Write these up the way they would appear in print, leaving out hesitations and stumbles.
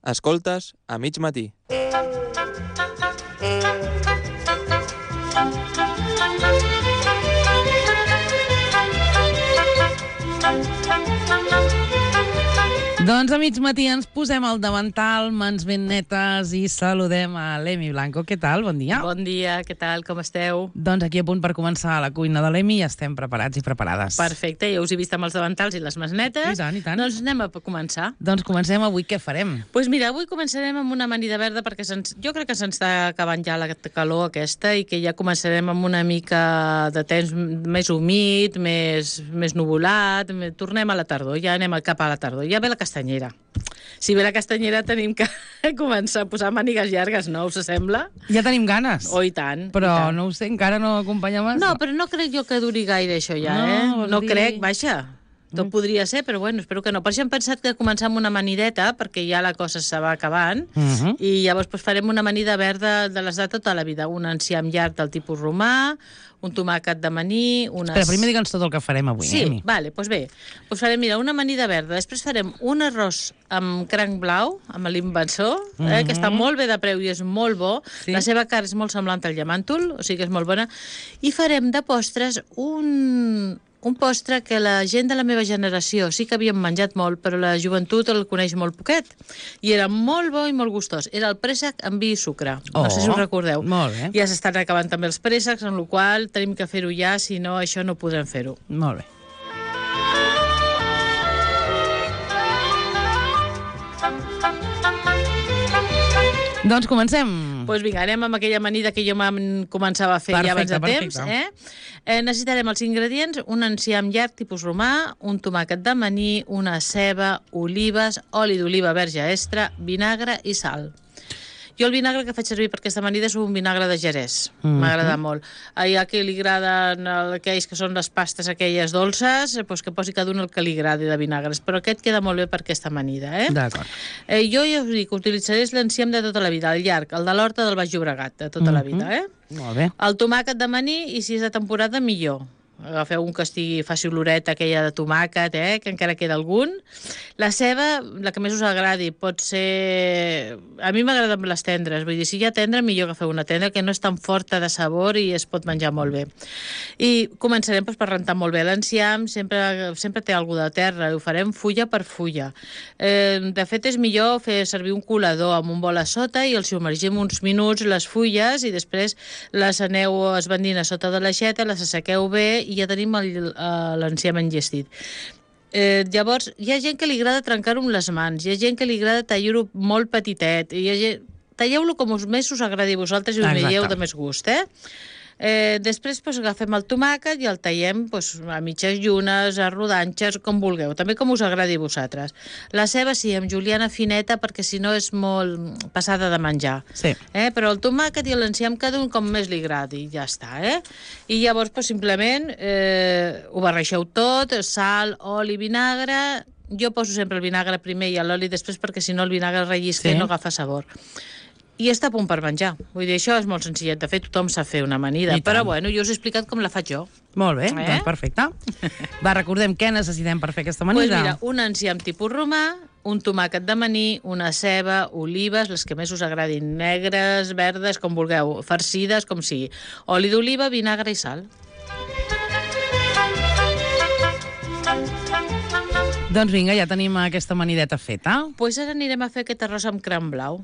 Escoltes a mig matí. Doncs a mig matí ens posem al davantal, mans ben netes, i saludem a l'Emi Blanco. Què tal? Bon dia. Bon dia, què tal? Com esteu? Doncs aquí a punt per començar la cuina de l'Emi i estem preparats i preparades. Perfecte, ja us he vist amb els davantals i les mans netes. I tant, i tant. Doncs anem a començar. Doncs comencem avui. Què farem? Doncs mira, avui començarem amb una amanida verda perquè jo crec que se'ns està acabant ja la calor aquesta i que ja començarem amb una mica de temps més humit, més nuvolat. Tornem a la tardor, ja anem cap a la tardor. Ja ve la castanyera. Si ve la castanyera tenim que començar a posar mànigues llargues, no? Us sembla? Ja tenim ganes. Oh, i tant. Però i tant. no ho sé, encara no acompanya massa. No, però no crec jo que duri gaire això ja, No crec, vaja. Tot podria ser, però bueno, espero que no. Per això hem pensat que començar amb una amanideta, perquè ja la cosa se va acabant, i llavors farem una amanida verda de les de tota la vida. Un enciam llarg del tipus romà, un tomàquet d'amanir... Espera, primer digue'ns tot el que farem avui. Sí, vale, doncs bé. Doncs farem, mira, una amanida verda. Després farem un arròs amb cranc blau, amb l'invensor, que està molt bé de preu i és molt bo. Sí. La seva cara és molt semblant al llamàntol, o sigui que és molt bona. I farem de postres un postre que la gent de la meva generació sí que havíem menjat molt, però la joventut el coneix molt poquet. I era molt bo i molt gustós. Era el préssec amb vi i sucre. No sé si us recordeu. Molt bé. Ja s'estan acabant també els préssecs, en la qual tenim que fer-ho ja, si no, això no podrem fer-ho. Molt bé. Doncs comencem. Doncs vinga, anem amb aquella amanida que jo començava a fer ja abans de temps. Necessitarem els ingredients: un enciam llarg tipus romà, un tomàquet d'amanir, una ceba, olives, oli d'oliva verge extra, vinagre i sal. Jo el vinagre que faig servir per aquesta amanida és un vinagre de Jerez. M'agrada molt. Hi ha qui li agraden aquells que són les pastes aquelles dolces, doncs que posi cada un el que li agradi de vinagres, però aquest queda molt bé per aquesta amanida. D'acord. Jo ja us dic, utilitzaré l'enciam de tota la vida, el llarg, el de l'Horta del Baix Llobregat, de tota la vida. Molt bé. El tomàquet d'amanir, i si és de temporada, millor. Agafeu un que estigui, faci oloreta aquella de tomàquet, que encara queda algun. La ceba, la que més us agradi, pot ser... A mi m'agrada amb les tendres, vull dir, si hi ha tendra, millor agafeu una tendra, que no és tan forta de sabor i es pot menjar molt bé. I començarem per rentar molt bé l'enciam, sempre té alguna de terra, ho farem fulla per fulla. De fet, és millor fer servir un colador amb un bol a sota i el submergim uns minuts les fulles i després les aneu esbandint a sota de l'aixeta, les assequeu bé i ja tenim l'enciam enllestit. Llavors, hi ha gent que li agrada trencar-ho amb les mans, hi ha gent que li agrada tallar-ho molt petitet, talleu-lo com més us agradi a vosaltres i ho veieu de més gust, Després agafem el tomàquet i el tallem a mitges llunes, a rodanxes, com vulgueu, també com us agradi a vosaltres. La ceba sí, amb juliana fineta, perquè si no és molt passada de menjar. Sí. Però el tomàquet i l'enciam cada un com més li agradi, ja està. I llavors simplement ho barreixeu tot, sal, oli, vinagre. Jo poso sempre el vinagre primer i l'oli després perquè si no el vinagre rellisca i no agafa sabor. I està a punt per menjar. Vull dir, això és molt senzillet. De fet, tothom sap fer una amanida. Però, bueno, jo us he explicat com la faig jo. Molt bé, doncs perfecte. Va, recordem què necessitem per fer aquesta amanida. Doncs mira, un enciam tipus romà, un tomàquet d'amanir, una ceba, olives, les que més us agradin, negres, verdes, com vulgueu, farcides, com sigui. Oli d'oliva, vinagre i sal. Doncs vinga, ja tenim aquesta amanideta feta. Doncs ara anirem a fer aquest arròs amb cranc blau.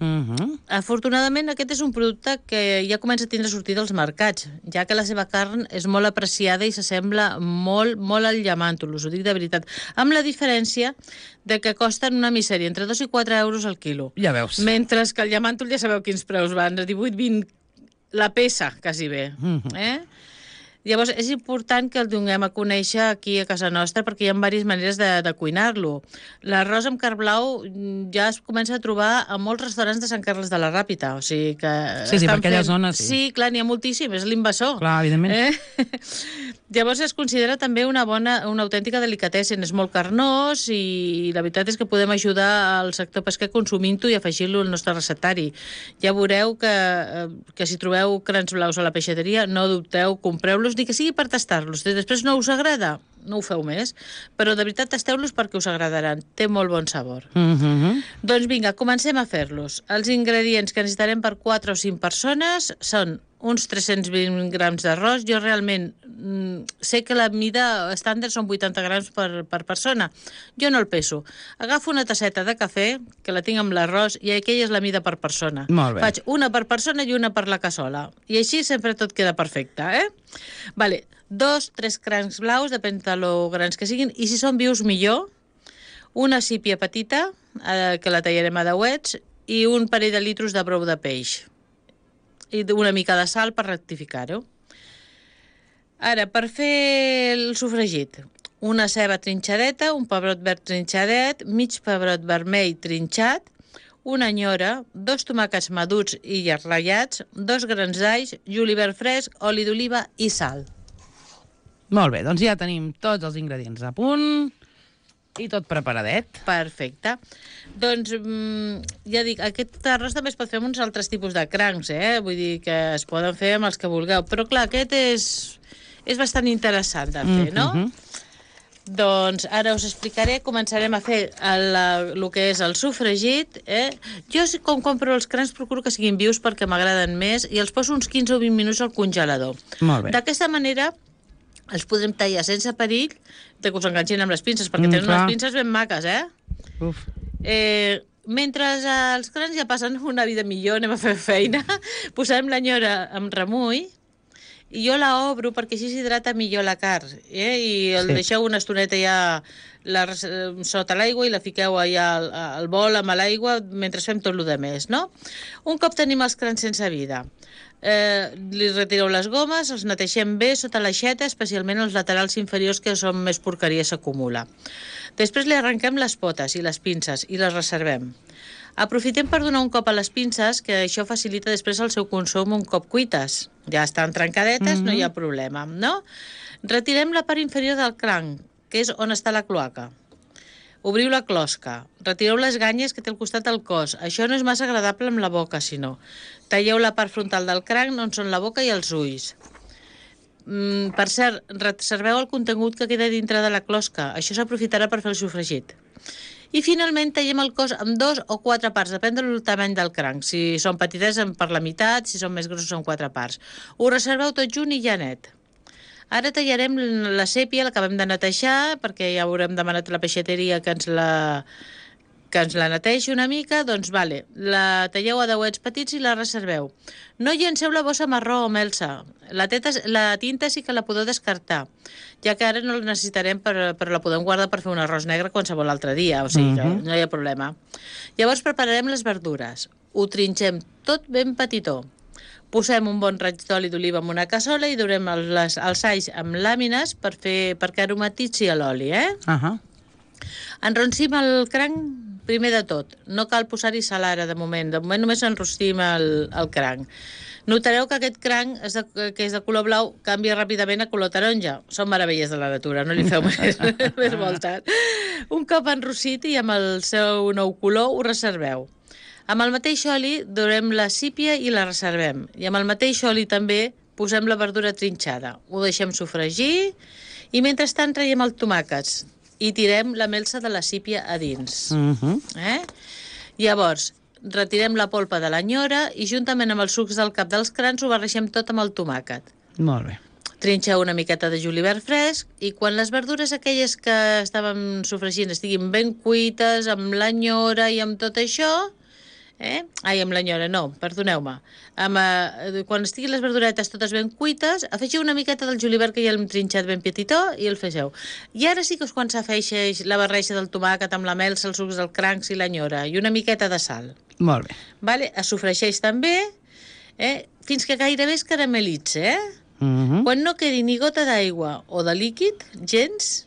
Afortunadament, aquest és un producte que ja comença a tindre sortida als mercats, ja que la seva carn és molt apreciada i s'assembla molt, molt al llamàntol, us ho dic de veritat. Amb la diferència de que costen una misèria, entre 2 i 4 euros al quilo. Ja veus. Mentre que el llamàntol ja sabeu quins preus van, de 18-20 la peça, quasi bé. Llavors, és important que el donem a conèixer aquí a casa nostra perquè hi ha diverses maneres de cuinar-lo. L'arròs amb carn blau ja es comença a trobar a molts restaurants de Sant Carles de la Ràpita. O sigui que sí, per aquella zona, sí. Sí, clar, n'hi ha moltíssim, és l'invasor. Clar, evidentment. Llavors es considera també una autèntica delicatessen, és molt carnós i la veritat és que podem ajudar al sector pesquer consumint-ho i afegir-lo al nostre receptari. Ja veureu que si trobeu crans blaus a la peixateria, no dubteu, compreu-los tastar-los, ni que sigui per tastar-los. Si després no us agrada, no ho feu més, però de veritat tasteu-los perquè us agradaran. Té molt bon sabor. Doncs vinga, comencem a fer-los. Els ingredients que necessitarem per 4 o 5 persones són uns 320 grams d'arròs. Jo realment sé que la mida estàndard són 80 grams per persona. Jo no el peso. Agafo una tasseta de cafè, que la tinc amb l'arròs, i aquella és la mida per persona. Molt bé. Faig una per persona i una per la cassola. I així sempre tot queda perfecte, Vale, 2-3 crancs blaus, depèn de lo grans que siguin, i si són vius millor, una sípia petita, que la tallarem a dauets, i un parell de litros de brou de peix. I una mica de sal per rectificar-ho. Ara, per fer el sofregit, una ceba trinxadeta, un pebrot verd trinxadet, mig pebrot vermell trinxat, una nyora, 2 tomàquets madurs i ratllats, 2 grans d'alls, julivert fresc, oli d'oliva i sal. Molt bé, doncs ja tenim tots els ingredients a punt i tot preparadet. Perfecte. Doncs, ja dic, aquest arròs també es pot fer amb uns altres tipus de crancs, Vull dir que es poden fer amb els que vulgueu. Però, clar, aquest és bastant interessant de fer, no? Doncs ara us explicaré, començarem a fer el que és el sofregit. Jo, com compro els crancs, procuro que siguin vius perquè m'agraden més i els poso uns 15 o 20 minuts al congelador. Molt bé. D'aquesta manera els podrem tallar sense perill de que us enganxin amb les pinces, perquè tenen unes pinces ben maques, Uf. Mentre els crancs ja passen una vida millor, anem a fer feina, posarem l'anyora amb remull, i jo la obro perquè així s'hidrata millor la carn, i el deixeu una estoneta ja sota l'aigua i la fiqueu allà al bol amb l'aigua mentre fem tot el de més, no? Un cop tenim els crancs sense vida, li retireu les gomes, els neteixem bé sota l'aixeta, especialment els laterals inferiors, que són més porqueria, s'acumula. Després li arrenquem les potes i les pinces i les reservem. Aprofitem per donar un cop a les pinces, que això facilita després el seu consum un cop cuites. Ja estan trencadetes, no hi ha problema, no? Retirem la part inferior del cranc, que és on està la cloaca. Obriu la closca, retireu les ganyes que té al costat del cos. Això no és massa agradable amb la boca, sinó. Talleu la part frontal del cranc, on són la boca i els ulls. Per cert, reserveu el contingut que queda dintre de la closca. Això s'aprofitarà per fer el sofregit. I finalment tallem el cos amb 2 o 4 parts, depèn del tamany del cranc. Si són petites, per la meitat, si són més grossos, en 4 parts. Ho reserveu tot junt i ja net. Ara tallarem la sèpia, l'acabem de netejar, perquè ja haurem demanat a la peixateria que ens la neteixi una mica. Doncs vale, la talleu a dauets petits i la reserveu. No llenceu la bossa marró o melsa. La tinta sí que la podeu descartar, ja que ara no la necessitarem, però la podem guardar per fer un arròs negre qualsevol altre dia, o sigui que no hi ha problema. Llavors prepararem les verdures. Ho trinxem tot ben petitó. Posem un bon raig d'oli d'oliva en una cassola i durem els alls amb làmines perquè aromatitzi l'oli, Enroncim el cranc primer de tot. No cal posar-hi sal ara, de moment. De moment només enrostim el cranc. Notareu que aquest cranc, que és de color blau, canvia ràpidament a color taronja. Són meravelles de la natura, no li feu més voltes. Un cop enrossit i amb el seu nou color, ho reserveu. Amb el mateix oli durem la sípia i la reservem. I amb el mateix oli també posem la verdura trinxada. Ho deixem sofregir i mentrestant traiem els tomàquets i tirem la melsa de la sípia a dins. Llavors, retirem la polpa de l'anyora i juntament amb els sucs del cap dels crancs ho barregem tot amb el tomàquet. Molt bé. Trinxeu una miqueta de julivert fresc i quan les verdures aquelles que estàvem sofregint estiguin ben cuites, amb l'anyora i amb tot això... amb l'anyora, no, perdoneu-me. Quan estiguin les verduretes totes ben cuites, afegiu una miqueta del julivert que ja l'hem trinxat ben petitó i el fegeu. I ara sí que és quan s'afegeix la barreja del tomàquet amb la melsa, els sucs del crancs i l'anyora i una miqueta de sal. Molt bé. Vale? Es sofregeix també fins que gairebé es caramelitza. Quan no quedi ni gota d'aigua o de líquid, gens,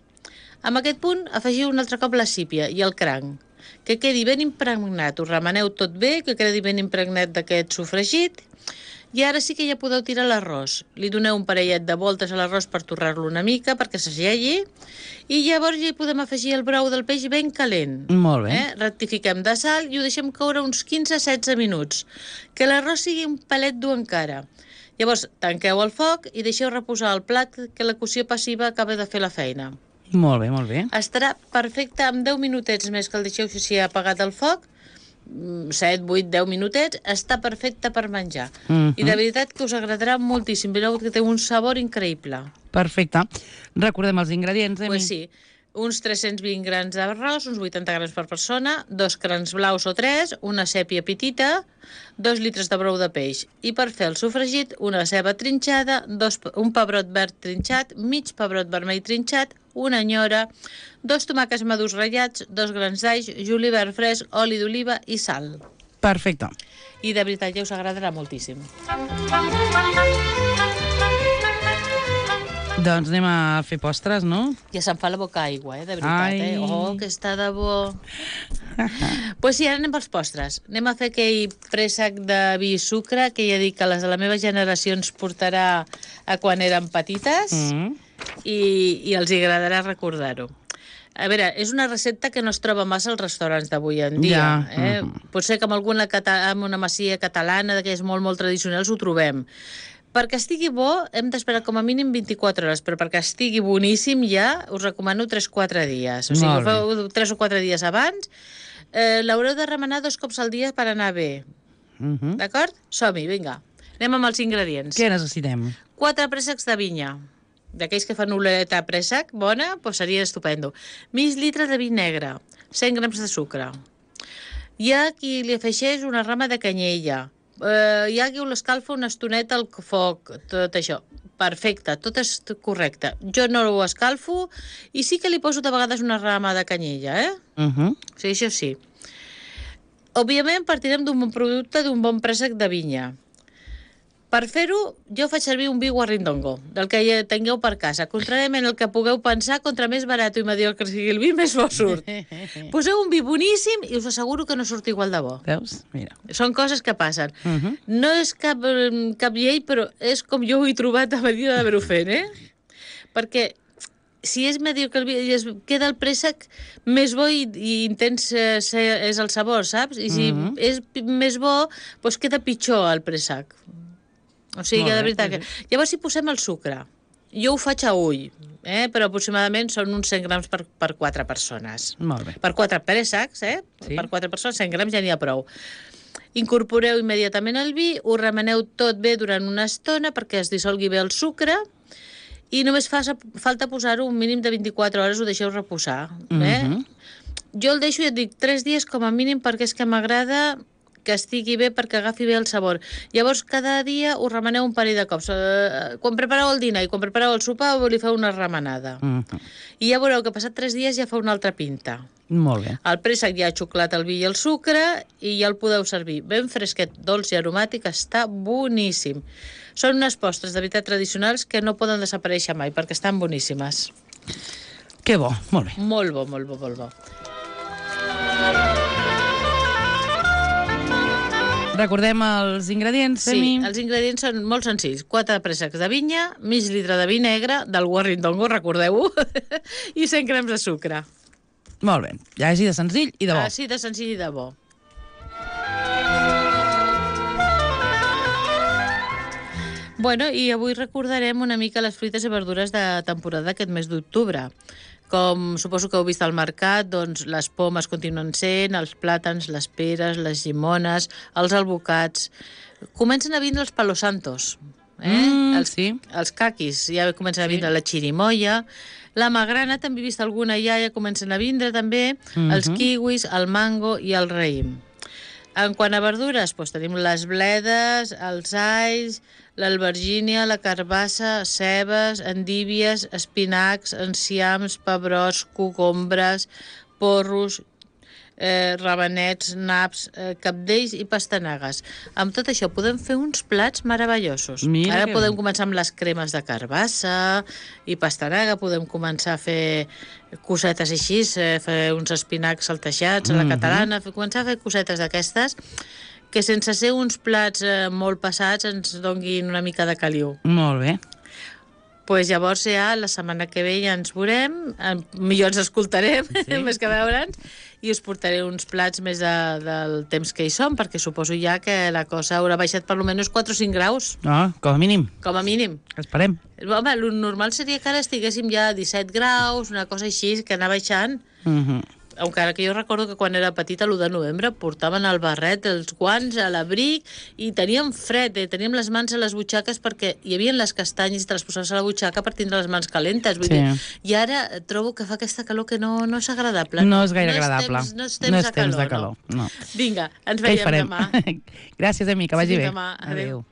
en aquest punt afegiu un altre cop la sípia i el cranc. Que quedi ben impregnat, ho remeneu tot bé, que quedi ben impregnat d'aquest sofregit, i ara sí que ja podeu tirar l'arròs. Li doneu un parellet de voltes a l'arròs per torrar-lo una mica, perquè s'agegui, i llavors ja hi podem afegir el brou del peix ben calent. Molt bé. Rectifiquem de sal i ho deixem coure uns 15-16 minuts. Que l'arròs sigui un palet dur encara. Llavors, tanqueu el foc i deixeu reposar el plat que la cocció passiva acaba de fer la feina. Molt bé, molt bé. Estarà perfecte amb 10 minutets més que el deixeu així apagat el foc, 7, 8, 10 minutets, està perfecte per menjar. I de veritat que us agradarà moltíssim. Veureu que té un sabor increïble. Perfecte. Recordem els ingredients, Emi. Pues sí, uns 320 grans d'arròs, uns 80 grams per persona, 2 crans blaus o 3, una sèpia petita, 2 litres de brou de peix. I per fer el sofregit, una ceba trinxada, un pebrot verd trinxat, mig pebrot vermell trinxat, una nyora, 2 tomàquets madurs ratllats, 2 grans d'all, julivert fresc, oli d'oliva i sal. Perfecte. I de veritat ja us agradarà moltíssim. Doncs anem a fer postres, no? Ja se'm fa la boca aigua, de veritat, Ai. Oh, que està de bo. Pues sí, ara anem pels postres. Anem a fer aquell préssec de vi i sucre, que ja dic que les de la meva generació ens portarà a quan érem petites i els agradarà recordar-ho. A veure, és una recepta que no es troba massa als restaurants d'avui en dia. Potser que amb una masia catalana, d'aquelles molt tradicionals, ho trobem. Perquè estigui bo, hem d'esperar com a mínim 24 hores, però perquè estigui boníssim ja us recomano 3-4 dies. O sigui, ho feu 3 o 4 dies abans. L'haureu de remenar 2 cops al dia per anar bé. D'acord? Som-hi, vinga. Anem amb els ingredients. Què necessitem? 4 préssecs de vinya. D'aquells que fan oleta préssec bona, doncs seria estupendo. Mig litre de vi negre, 100 grams de sucre. Hi ha qui li afegeix una rama de canyella. Hi ha qui l'escalfa una estoneta al foc, tot això. Perfecte, tot és correcte. Jo no ho escalfo i sí que li poso de vegades una rama de canyella, O sigui, això sí. Òbviament partirem d'un bon producte, d'un bon préssec de vinya. Per fer-ho, jo faig servir un vi guarrindongo, del que ja tingueu per casa. Contràriament al que pugueu pensar, contra més barat i mediocre sigui el vi, més bo surt. Poseu un vi boníssim i us asseguro que no surt igual de bo. Veus? Mira. Són coses que passen. No és cap llei, però és com jo ho he trobat a medida d'haver-ho fet, Perquè si és mediocre el vi, queda el préssec més bo i intens és el sabor, saps? I si és més bo, doncs queda pitjor el préssec. O sigui, que de veritat que... Llavors, si posem el sucre, jo ho faig a ull, però aproximadament són uns 100 grams per 4 persones. Molt bé. Per 4 préssecs, Sí. Per 4 persones, 100 grams ja n'hi ha prou. Incorporeu immediatament el vi, ho remeneu tot bé durant una estona perquè es dissolgui bé el sucre i només falta posar-ho un mínim de 24 hores, ho deixeu reposar. Jo el deixo, ja et dic, 3 dies com a mínim perquè és que m'agrada que estigui bé perquè agafi bé el sabor. Llavors, cada dia ho remeneu un parell de cops. Quan prepareu el dinar i quan prepareu el sopar, li feu una remenada. I ja veureu que passat 3 dies ja fa una altra pinta. Molt bé. El préssec ja ha xuclat el vi i el sucre i ja el podeu servir. Ben fresquet, dolç i aromàtic, està boníssim. Són unes postres de veritat tradicionals que no poden desaparèixer mai perquè estan boníssimes. Que bo, molt bé. Molt bo, molt bo, molt bo. Recordem els ingredients, Sí, Emi. els ingredients són molt senzills. 4 préssecs de vinya, mig litre de vi negre, del guarrindongo, recordeu-ho, i 100 grams de sucre. Molt bé. Ja així de senzill i de bo. Així de senzill i de bo. Bueno, i avui recordarem una mica les fruites i verdures de temporada aquest mes d'octubre. Com suposo que heu vist al mercat, doncs les pomes continuen sent, els plàtans, les peres, les llimones, els alvocats. Comencen a vindre els palos santos. Sí. Els caquis, ja comencen a vindre la xirimoia. La magrana, també he vist alguna ja comencen a vindre també. Els kiwis, el mango i el raïm. En quant a verdures, doncs tenim les bledes, els alls, l'albergínia, la carbassa, cebes, endívies, espinacs, enciams, pebrots, cogombres, porros, rabanets, naps, cabdells i pastanagues. Amb tot això podem fer uns plats meravellosos. Mira Ara que podem bé. començar amb les cremes de carbassa i pastanaga, podem començar a fer cosetes així, fer uns espinacs saltejats a la catalana, començar a fer cosetes d'aquestes que sense ser uns plats molt passats ens donguin una mica de caliu. Molt bé. Pues llavors ja la setmana que ve ja ens veurem, millor ens escoltarem, més que veure'ns, i us portaré uns plats més del temps que hi som, perquè suposo ja que la cosa haurà baixat per almenys 4 o 5 graus, Com a mínim. com a mínim. Esperem. Home, el normal seria que ara estiguéssim ja a 17 graus, una cosa així, que anar baixant. Encara que jo recordo que quan era petita, l'1 de novembre, portaven el barret, els guants, l'abric, i teníem fred, teníem les mans a les butxaques perquè hi havia les castanyes i te les posaves a la butxaca per tindre les mans calentes. Vull dir, i ara trobo que fa aquesta calor que no és agradable. No és gaire agradable. No és temps de calor. No. Vinga, ens Què hi veiem farem? demà. Gràcies, amic, que vagi bé. Demà. Adéu.